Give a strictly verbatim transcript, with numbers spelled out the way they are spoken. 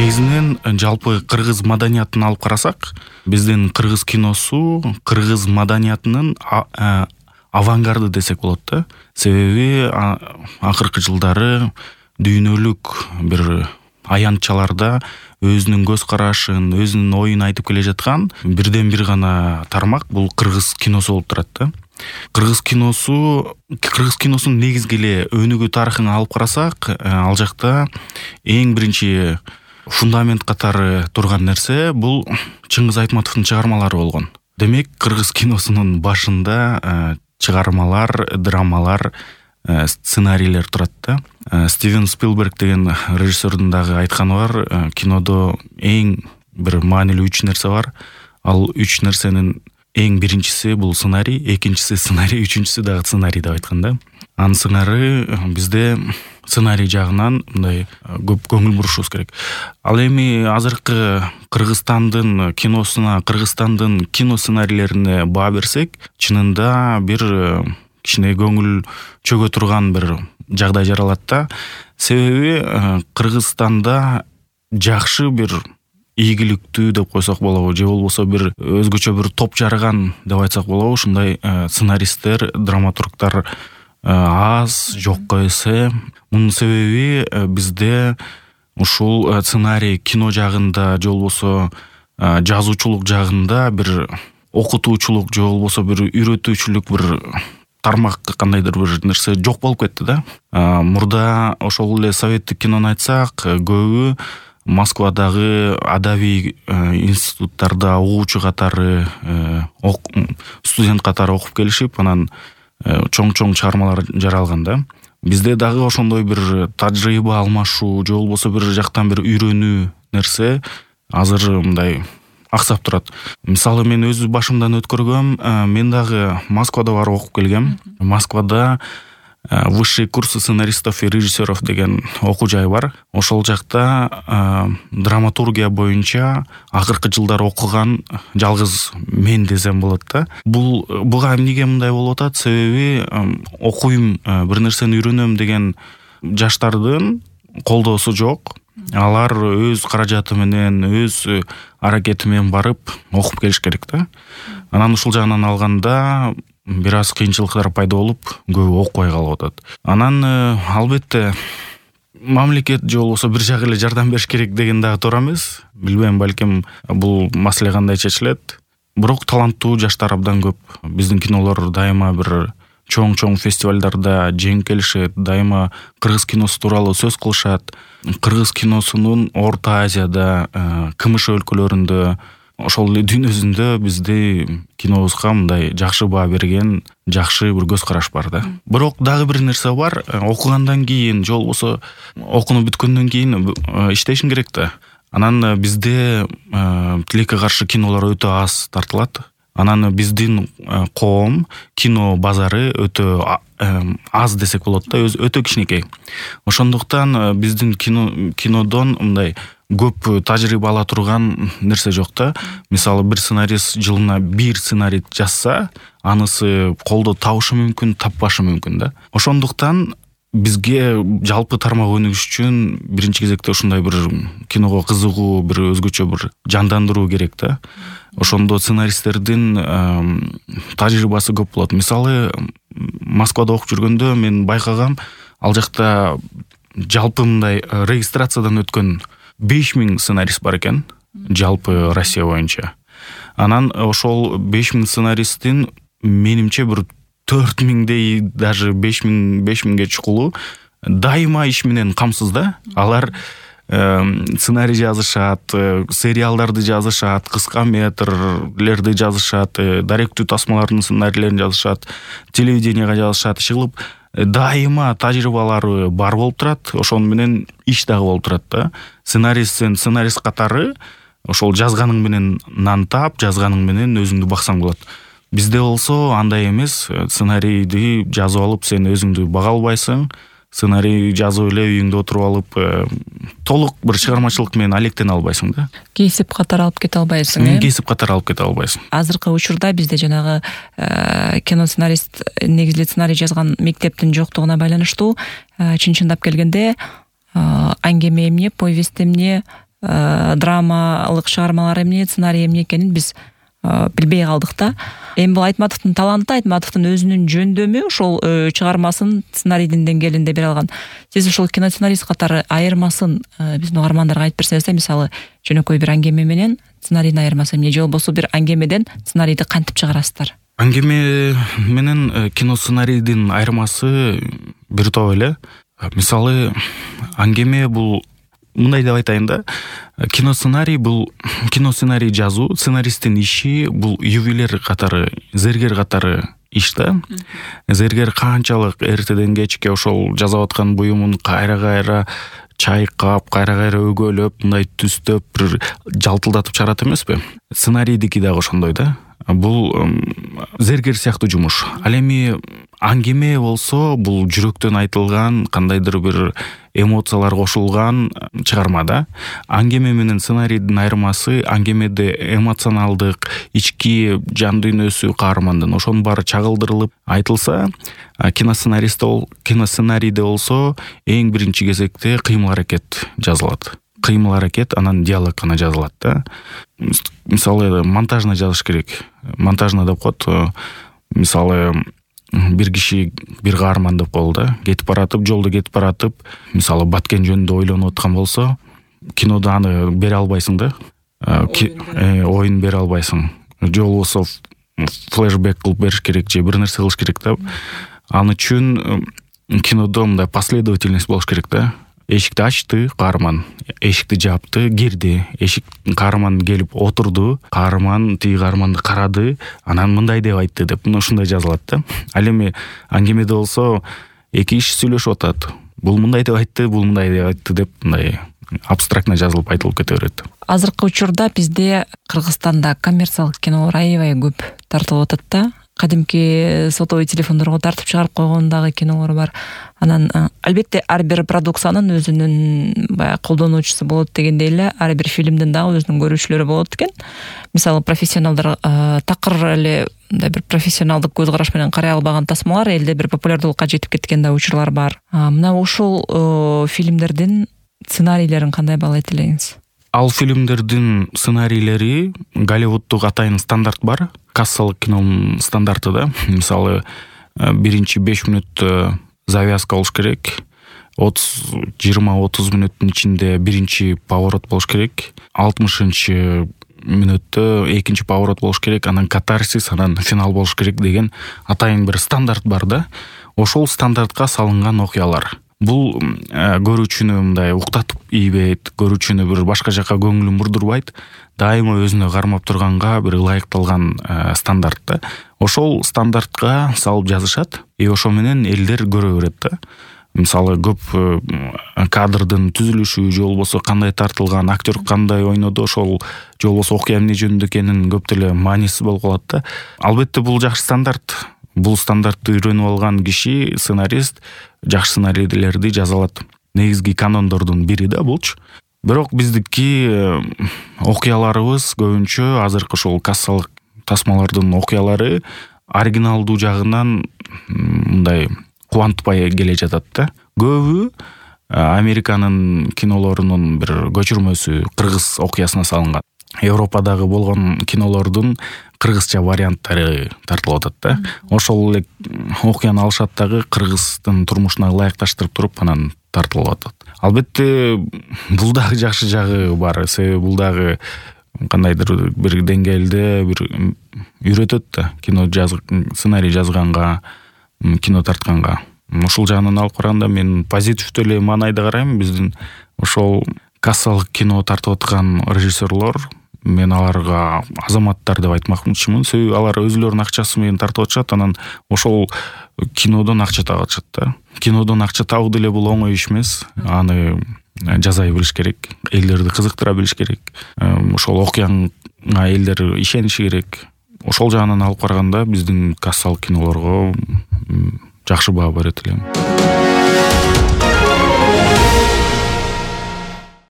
Негизинен жалпы кыргыз маданиятын алып карасак, биздин кыргыз киносу кыргыз маданиятынын авангарды десек болот да. Себеби акыркы жылдары дүйнөлүк бир аянтчаларда өзүнүн көз карашын, өзүнүн оюн айтып келе жаткан бирден бир гана тармак бул кыргыз киносу болуп турат да. Кыргыз киносу, кыргыз киносунун негизги эле өнүгүү тарыхын алып карасак, ал жакта эң биринчи фундамент катары турган нерсе бул Чыңгыз Айтматовдун чыгармалары болгон. Демек, кыргыз киносунун башында чыгармалар, драмалар, сценарийлер турат да. Стивен Спилберг деген режиссердун дагы айтканы бар, кинодо эң бир маанилүү үч нерсе бар. Ал үч нерсенин эң биринчиси бул сценарий, экинчиси сценарий, үчүнчүсү дагы сценарий деп айткан да. Анын сыңары бизде сценарий жагынан мындай көп көңүл бурушубуз керек. Ал эми азыркы Кыргызстандын киносуна, Кыргызстандын кино сценарийлерине баа берсек, чынында бир кичине көңүл чөгө турган бир жагдай жаралат да. Себеби Кыргызстанда жакшы бир ийгиликтүү деп койсок болобу, же болбосо бир өзгөчө бир топ жарган деп айтсак болобу, ушундай сценаристтер, драматургдар аз, жокко эсе. Мунун себеби бизде ушул сценарий кино жагында же болбосо жазуучулук жагында бир окутуучулук же болбосо бир үйрөтүүчүлүк бир тармак кандайдыр бир нерсе жок болуп кетти да. Мурда ошол эле советтик кинону айтсак, көбү Москвадагы адабий институттарда угуучу катары, студент катары окуп келишип, анан чоң-чоң чыгармалар жаралган да. Бизде дагы ошондой бир тажрыйба алмашуу же болбосо бир жактан бир үйрөнүү нерсе азыр мындай аксап турат. Мисалы, мен өз башымдан өткөргөм, мен дагы Москвада барып окуп келгем. Москвада высшие курсы сценаристов и режиссеров деген окуу жай бар. Ошол жакта драматургия боюнча акыркы жылдары окуган жалгыз мен десем болот да. Бул буга эмнеге мындай болуп атат? Себеби окуйм, бир нерсени үйрөнөм деген жаштардын колдоосу жок. Алар өз каражаты менен, өз аракети менен барып окуп келиш керек да. Анан ушул жагынан алганда бир аз кыйынчылыктар пайда болуп, көбү окубай калып атат. Анан албетте мамлекет же болбосо бир жак эле жардам бериш керек деген дагы туура эмес. Билбейм, балким бул маселе кандай чечилет. Бирок таланттуу жаштар абдан көп. Биздин кинолор дайыма бир чоң-чоң фестивалдарда жеңип келишет, дайыма кыргыз киносу тууралуу сөз кылышат. Кыргыз киносунун Орто Азияда, КМШ өлкөлөрүндө, ошол эле дүйнө жүзүндө бизде кинобузга мындай жакшы баа берген, жакшы бир көз караш бар да. Бирок дагы бир нерсе бар, окугандан кийин же болбосо окууну бүткөндөн кийин иштешиң керек да. Анан бизде тилекке каршы кинолор өтө аз тартылат. Анан биздин коом кино базары өтө аз десек болот да, өз өтө кичинекей. Ошондуктан биздин кино кинодон мындай көп тажрыйба ала турган нерсе жок да. Мисалы, бир сценарист жылына бир сценарий жазса, анысы колдо табышы мүмкүн, таппашы мүмкүн да. Ошондуктан бизге жалпы тармак өнүгүш үчүн биринчи кезекте ушундай бир киного кызыгуу, бир өзгөчө бир жандандыруу керек да. Ошондо сценаристтердин тажрыйбасы көп болот. Мисалы, Москвада окуп жүргөндө мен байкагам, ал жакта жалпы мындай регистрациядан өткөн беш миң сценарист бар экен, жалпы Россия боюнча. Анан ошол беш миң сценаристтин менимче бир төрт миңдей, даже беш миң беш миңге чукулу дайыма иш менен камсыз да. Алар сценарий жазышат, сериалдарды жазышат, кыска метрлерди жазышат, даректүү тасмалардын сценарийлерин жазышат, телевиденияга жазышат, чыгылып дайыма тажрыйбалары бар болуп турат. Ошон менен иш дагы болуп турат да. Сценарист сен сценарист катары ошол жазганың менен нан таап, жазганың менен өзүңдү баксаң болот. Бизде болсо андай эмес. Сценарийди жазып алып сен өзүңдү бага албайсың. Сценарий жазып эле үйүңдө отуруп алып толук бир чыгармачылык менен алектене албайсың да. Кесип катары алып кете албайсың, э? Кесип катары алып кете албайсың. Азыркы учурда бизде жанагы кино сценарист, негизги сценарий жазган мектептин жоктугуна байланыштуу чын-чындап келгенде аңгеме эмне, повесть эмне, драмалык чыгармалар эмне, сценарий эмне экенин биз билбей калдык да. Эми бул Айтматовдун таланты, Айтматовдун өзүнүн жөндөмү ошол чыгармасын сценарийдин деңгээлинде бере алган. Сиз ошол киносценарист катары айырмасын биздин угармандарга айтып берсеңиз да, мисалы жөнөкөй бир аңгеме менен сценарийдин айырмасы эмне, же болбосо бир аңгемеден сценарийди кантип чыгарасыздар? Аңгеме менен кино сценарийдин айырмасы бир топ эле. Мисалы аңгеме бул мындай деп айтайын да, кино сценарий бул кино сценарий жазуу, сценаристтин иши бул ювелир катары, зергер катары иш да. Зергер канчалык эртеден кечке ошол жазып аткан буюмун кайра-кайра чайкап, кайра-кайра өгөлөп, мындай түстөп, бир жалтылдатып чыгарат эмеспи? Сценарийдики дагы ошондой да. Бул зергер сыяктуу жумуш. Ал эми аңгеме болсо бул жүрөктөн айтылган, кандайдыр бир эмоциялар кошулган чыгарма да. Аңгеме менен сценарийдин айырмасы, аңгемеде эмоционалдык, ички жан дүйнөсү каармандын ошонун баары чагылдырылып айтылса, киносценарист ол киносценарийде болсо эң биринчи кезекте кыймыл аракет жазылат. Кыймыл аракет, анан диалог гана жазылат да. Мисалы монтажна жазыш керек. Монтажна деп коет. Мисалы бир киши бир каарман деп коелу да, кетип баратып, жолдо кетип баратып, мисалы Баткен жөнүндө ойлонуп аткан болсо, кинодо аны бере албайсың да. Оюн бере албайсың. Же болбосо флешбек кылып бериш керек, же бир нерсе кылыш керек да. Аны үчүн кинодо мындай последовательность болуш керек да. Эшикти ачты каарман, эшикти жапты, кирди. Эшик каарман келип отурду, каарман тиги каарманды карады, анан мындай деп айтты деп, мына ушундай жазылат да. Ал эми аңгемеде болсо эки киши сүйлөшүп атат. Бул мындай деп айтты, бул мындай деп айтты деп, мындай абстрактно жазылып айтылып кете берет. Азыркы учурда бизде Кыргызстанда коммерциялык кинолор аябай көп тартылып атат да. Кадимки сотовый телефондорго тартып чыгарып койгон дагы кинолор бар. Анан албетте ар бир продукциянын өзүнүн баягы колдонуучусу болот дегендей эле, ар бир фильмдин дагы өзүнүн көрүүчүлөрү болот экен. Мисалы профессионалдар такыр эле мындай бир профессионалдык көз караш менен карай албаган тасмалар элде бир популярдуулукка жетип кеткен да учурлар бар. Мына ошол фильмдердин сценарийлерин кандай баалайт элеңиз? Ал фильмдердин сценарийлери Голливуддук атайын стандарт бар. Кассалык кинонун стандарты да. Мисалы биринчи беш мүнөттө завязка болуш керек. отуз жыйырма отуз мүнөттүн ичинде биринчи поворот болуш керек. алтымышынчы мүнөттө экинчи поворот болуш керек. Анан катарсис, анан финал болуш керек деген атайын бир стандарт бар да. Ошол стандартка салынган окуялар. Бул көрүүчүнү мындай уктатып ийбейт, көрүүчүнү бир башка жака көңүлүн бурдурбайт, дайыма өзүнө кармап турганга бир ылайыкталган стандарт да. Ошол стандартка салып жазышат, и ошо менен элдер көрө берет да. Мисалы көп кадрдын түзүлүшү, же болбосо кандай тартылган, актер кандай ойноду, ошол же болбосо окуя эмне жөнүндө экенин көп деле маанисиз болуп калат да. Албетте бул жакшы стандарт. Бул стандартты үйрөнүп алган киши, сценарист жакшы сценарийлерди жаза алат. Негизги канондордун бири да булчу. Бирок биздики окуяларыбыз көбүнчө азыркы ошол кассалык тасмалардын окуялары оригиналдуу жагынан мындай кубантпай келе жатат да. Көбү Американын кинолорунун бир көчүрмөсү кыргыз окуясына салынган. Европадагы болгон кинолордун кыргызча варианттары тартылып атат да. Ошол эле окуяны алышат дагы кыргыздын турмушуна ылайыкташтырып туруп анан тартылып атат. Албетте бул дагы жакшы жагы бар. Себеби бул дагы кандайдыр бир деңгээлде бир үйрөтөт да. Кино жазып, сценарий жазганга, кино тартканга. Ушул жагынан алып караганда мен позитивдүү эле маанайда карайм. Биздин ошол кассалык кино тартып аткан режиссерлор, мен аларга азаматтар деп айтмакчымын. Себеби алар өзүлөрүнүн акчасы менен тартып атышат, анан ошол кинодон акча таап атышат да. Кинодон акча табуу деле бул оңой иш эмес. Аны жазай билиш керек, элдерди кызыктыра билиш керек. Ошол окуяга элдер ишениши керек. Ошол жагынан алып караганда биздин кассалык кинолорго жакшы баа берет элем.